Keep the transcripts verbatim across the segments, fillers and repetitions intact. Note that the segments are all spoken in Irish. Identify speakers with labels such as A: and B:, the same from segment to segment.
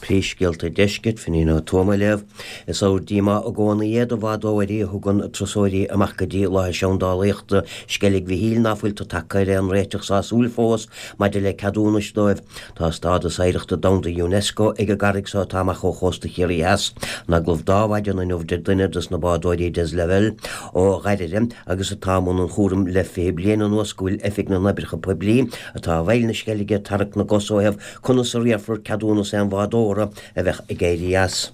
A: Príomhscéalta Deiscirt, Finín Ó Tuama á léamh. Is ábhar díomá i gcónaí é do bhádóirí a thugann turasóirí amach go dtí láthair seandálaíochta Sceilg Mhichíl ná fuiltear tagtha ar aon réiteach sásúil fós maidir le ceadúnais dóibh. Tá stádas oidhreachta domhanda UNESCO ag an gcarraig so atá amach ó chósta Chiarraí Theas. In agallamh d'Adhmhaidin inniu deir duine dos na bádóirí Des Lavelle ó Dhoire agus atá i mbun an chúraim le fiche bliain anuas go bhfuil Oifig na nOibreacha Poiblí atá i bhfeighil na Sceilge ag tarrac na gcos ó thaobh conas a riarfar ceadúnas aon bhádóra a bheadh ag éirí as.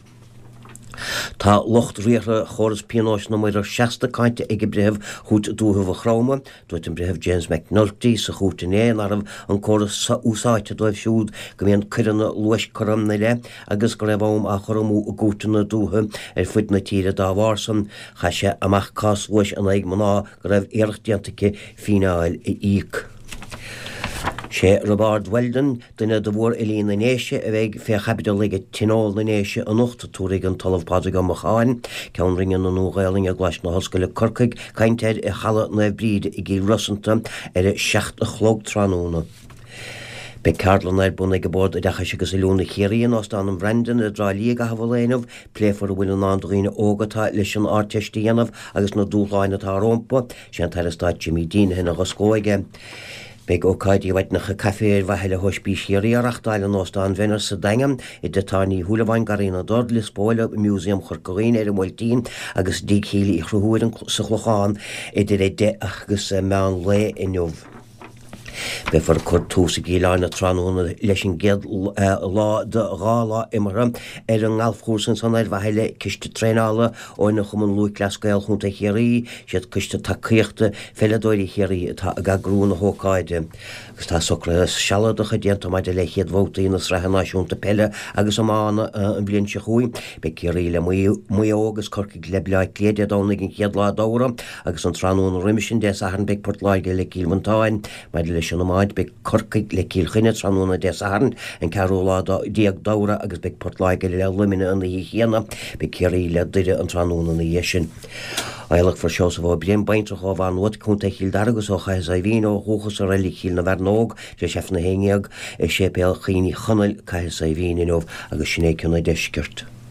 A: Tá lucht riartha chóras pionóis na muirear seasta cáinte ag breitheamh Chúirt Dúiche Mhaigh Chromtha. Dúirt an Breitheamh James McNulty sa chúirt inné nach raibh an córas úsáidte dóibh siúd go mbíonn coireanna luais curtha ina leith agus go raibh am á chur amú i gcúirteanna dúiche ar fud na tíre dá bharr san. Chaith sé amach cás luais in aghaidh mná go raibh iarracht déanta aici fíneáil a íoc. Sé Roibeárd Weldon, duine de mhórfhilí na nDéise a bheidh fé chaibidil ag Tionól na nDéise anocht, tabharfaidh an tOllamh Pádraig Ó Mocháin, Ceann Roinne na Nua-Ghaelainne i gColáiste na hOllscoile Corcaigh, caint air i Halla Naomh Bríd i gCill Rosanta ar a seacht a chlog tráthnóna. Beidh ceardlann ar bun ag Bord Oideachais agus Oiliúna Chiarraí in Óstán an Bhrandon i dTrá Lí i gcaitheamh an lae inniu. Pléifear a bhfuil i ndán do dhaoine óga atá leis an Ardteist a dhéanamh agus na dúshláin atá rompu. Sé an tAire Stáit Jimmy Deenihan a dh'osclóidh é. Beidh ócáidí mhaidineacha caife ar mhaithe le hOspís Chiarraí á reáchtáil in Óstán Venner sa Daingean, i dTigh Tábhairne Uí Shúilleabháin, Garraí na dTor, Lios Póil, i Músaem Chorca Dhuibhne ar an mBuailtín agus i dTigh Shíle Uí Chonchúir sa Chlochán idir a deich agus meán lae inniu. Beifear ag cur tús i gCill Airne tráthnóna leis an gcéad lá de dhá lá imeartha ar an ngalfchúrsa ansan ar mhaithe le ciste traenála ó Chumann Lúthchleas Gael Chontae Chiarraí, siad coiste tacaíochta pheileadóirí Chiarraí atá ag eagrú na hócáide. Agus tá socruithe sealadacha déanta maidir le chéad bhabhtaí na Sraithe Náisiúnta Peile agus Iomána an bhliain seo chugainn. Beidh Ciarraí le Maigh Eo agus Corcaigh le Bleá Cliath Dé Domhnaigh an chéad lá d'Fheabhra agus an tráthnóna roimhe sin Dé Sathairn beidh Port Láirge le Cill Mhantáin. Maidir leis an iomáint beidh Corcaigh le Cill Chainnigh tráthnóna Dé Sathairn an ceathrú lá déag d'Fheabhra agus beidh Port Láirge le Luimneach an oíche chéanna, beidh Ciarraí le Doire an tráthnóna ina dhiaidh sin. Adhlacfar Seosamh Ó Briain, baintreach ó Mhaigh Nuad, Contae Chill Dara agus ó Chathair Saidhbhín ó dhúchas i Reilig Chill na bhFearnóg, tar éis Aifreann a haon déag i Séipéal Chaoin Uí Chonaill, Cathair Saidhbhín inniu agus sin é cionn an deiscirt.